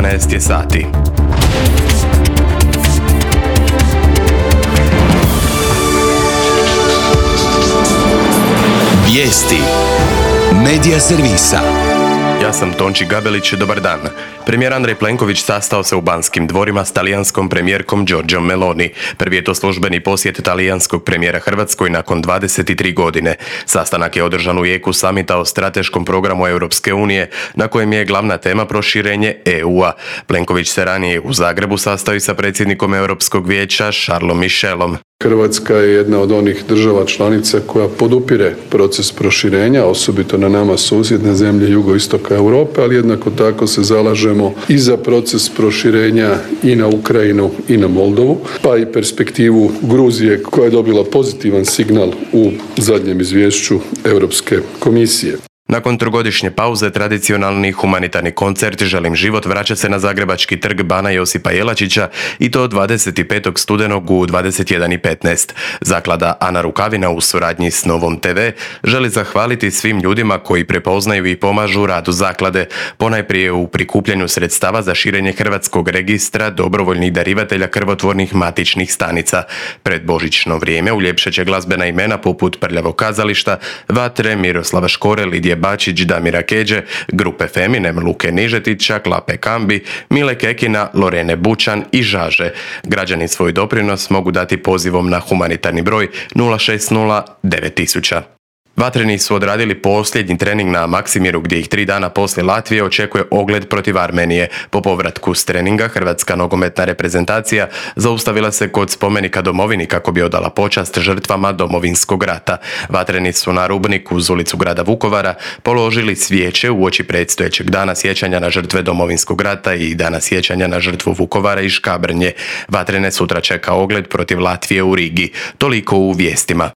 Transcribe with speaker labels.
Speaker 1: 11 je sati.
Speaker 2: Vijesti Medija servisa.
Speaker 1: Ja sam Tonči Gabelić, dobar dan. Premijer Andrej Plenković sastao se u Banskim dvorima s talijanskom premijerkom Giorgiom Meloni. Prvi je to službeni posjet talijanskog premijera Hrvatskoj nakon 23 godine. Sastanak je održan u jeku samita o strateškom programu Europske unije, na kojem je glavna tema proširenje EU-a. Plenković se ranije u Zagrebu sastao i sa predsjednikom Europskog vijeća Charlesom Michelom.
Speaker 3: Hrvatska je jedna od onih država članica koja podupire proces proširenja, osobito na nama susjedne zemlje jugoistoka Europe, ali jednako tako se zalažemo i za proces proširenja i na Ukrajinu i na Moldovu, pa i perspektivu Gruzije koja je dobila pozitivan signal u zadnjem izvješću Europske komisije.
Speaker 1: Nakon trogodišnje pauze, tradicionalni humanitarni koncert Želim život vraća se na zagrebački trg Bana Josipa Jelačića i to 25. studenog u 21:15. Zaklada Ana Rukavina u suradnji s Novom TV želi zahvaliti svim ljudima koji prepoznaju i pomažu radu zaklade, ponajprije u prikupljanju sredstava za širenje hrvatskog registra dobrovoljnih darivatelja krvotvornih matičnih stanica. Pred božićno vrijeme uljepšat će glazbena imena poput Prljavog kazališta, Vatre, Miroslava Škore, Lidije Bačić, Damira Keđe, grupe Feminem, Luke Nižetića, Klape Kambi, Mile Kekina, Lorene Bučan i Žaže. Građani svoj doprinos mogu dati pozivom na humanitarni broj 060 9000. Vatreni su odradili posljednji trening na Maksimiru gdje ih 3 dana poslije Latvije očekuje ogled protiv Armenije. Po povratku s treninga hrvatska nogometna reprezentacija zaustavila se kod spomenika domovini kako bi odala počast žrtvama Domovinskog rata. Vatreni su na Rubniku uz ulicu grada Vukovara položili svijeće uoči predstojećeg dana sjećanja na žrtve Domovinskog rata i dana sjećanja na žrtvu Vukovara i Škabrnje. Vatrene sutra čeka ogled protiv Latvije u Rigi. Toliko u vijestima.